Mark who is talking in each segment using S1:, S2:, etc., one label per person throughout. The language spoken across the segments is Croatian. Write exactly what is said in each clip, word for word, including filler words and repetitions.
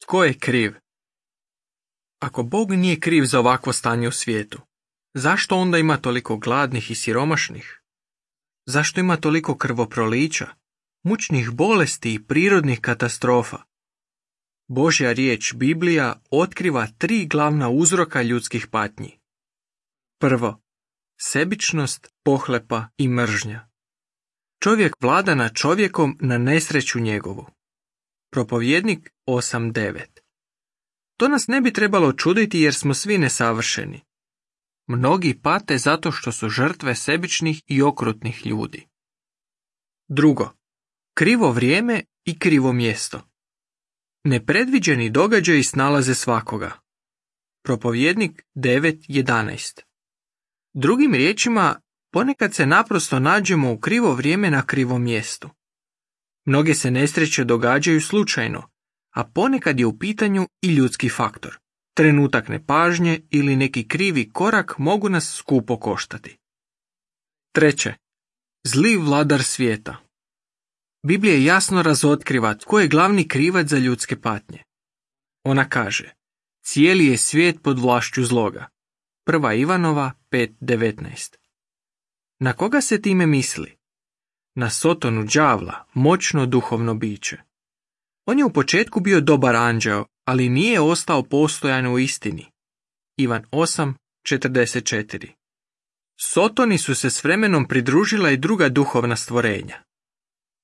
S1: Tko je kriv? Ako Bog nije kriv za ovakvo stanje u svijetu, zašto onda ima toliko gladnih i siromašnih? Zašto ima toliko krvoprolića, mučnih bolesti i prirodnih katastrofa? Božja riječ Biblija otkriva tri glavna uzroka ljudskih patnji. Prvo, sebičnost, pohlepa i mržnja. Čovjek vlada nad čovjekom na nesreću njegovu. Propovjednik osam devet. To nas ne bi trebalo čuditi jer smo svi nesavršeni. Mnogi pate zato što su žrtve sebičnih i okrutnih ljudi. Drugo, krivo vrijeme i krivo mjesto. Nepredviđeni događaji snalaze svakoga. Propovjednik devet jedanaest. Drugim riječima, ponekad se naprosto nađemo u krivo vrijeme na krivom mjestu. Mnoge se nesreće događaju slučajno, a ponekad je u pitanju i ljudski faktor. Trenutak nepažnje ili neki krivi korak mogu nas skupo koštati. Treće, zli vladar svijeta. Biblija jasno razotkriva tko je glavni krivac za ljudske patnje. Ona kaže, cijeli je svijet pod vlašću zloga. Prva Ivanova pet devetnaest. Na koga se time misli? Na Sotonu đavla, moćno duhovno biće. On je u početku bio dobar anđeo, ali nije ostao postojan u istini. Ivan osam četrdeset četiri. Sotoni su se s vremenom pridružila i druga duhovna stvorenja.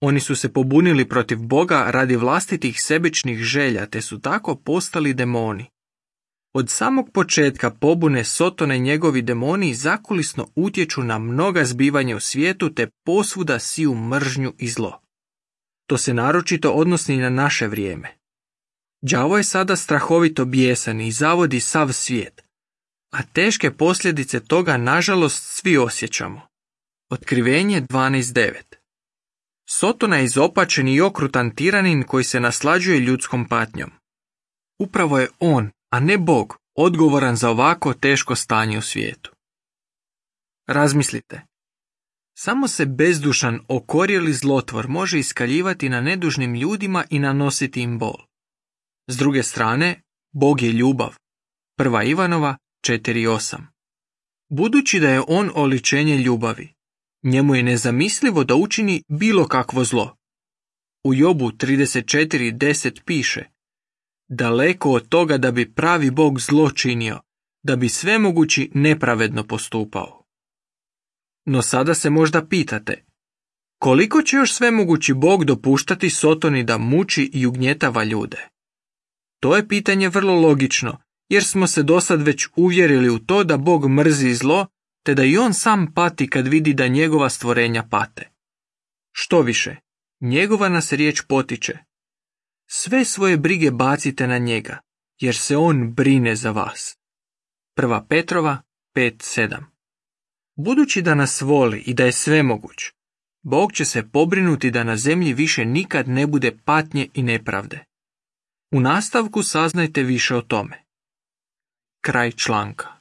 S1: Oni su se pobunili protiv Boga radi vlastitih sebičnih želja, te su tako postali demoni. Od samog početka pobune Sotona i njegovi demoni zakulisno utječu na mnoga zbivanja u svijetu te posvuda siju mržnju i zlo. To se naročito odnosi na naše vrijeme. Đavo je sada strahovito bijesan i zavodi sav svijet, a teške posljedice toga nažalost svi osjećamo. Otkrivenje dvanaest devet. Sotona je izopačen i okrutan tiranin koji se naslađuje ljudskom patnjom. Upravo je on, a ne Bog, odgovoran za ovako teško stanje u svijetu. Razmislite. Samo se bezdušan, okorjeli zlotvor može iskaljivati na nedužnim ljudima i nanositi im bol. S druge strane, Bog je ljubav. Prva Ivanova četiri osam. Budući da je on oličenje ljubavi, njemu je nezamislivo da učini bilo kakvo zlo. U Jobu trideset četiri deset piše: daleko od toga da bi pravi Bog zlo činio, da bi svemogući nepravedno postupao. No sada se možda pitate, koliko će još svemogući Bog dopuštati Sotoni da muči i ugnjetava ljude? To je pitanje vrlo logično, jer smo se dosad već uvjerili u to da Bog mrzi zlo, te da i on sam pati kad vidi da njegova stvorenja pate. Što više, njegova nas riječ potiče. Sve svoje brige bacite na njega, jer se on brine za vas. Prva Petrova pet sedam. Budući da nas voli i da je svemoguć, Bog će se pobrinuti da na zemlji više nikad ne bude patnje i nepravde. U nastavku saznajte više o tome. Kraj članka.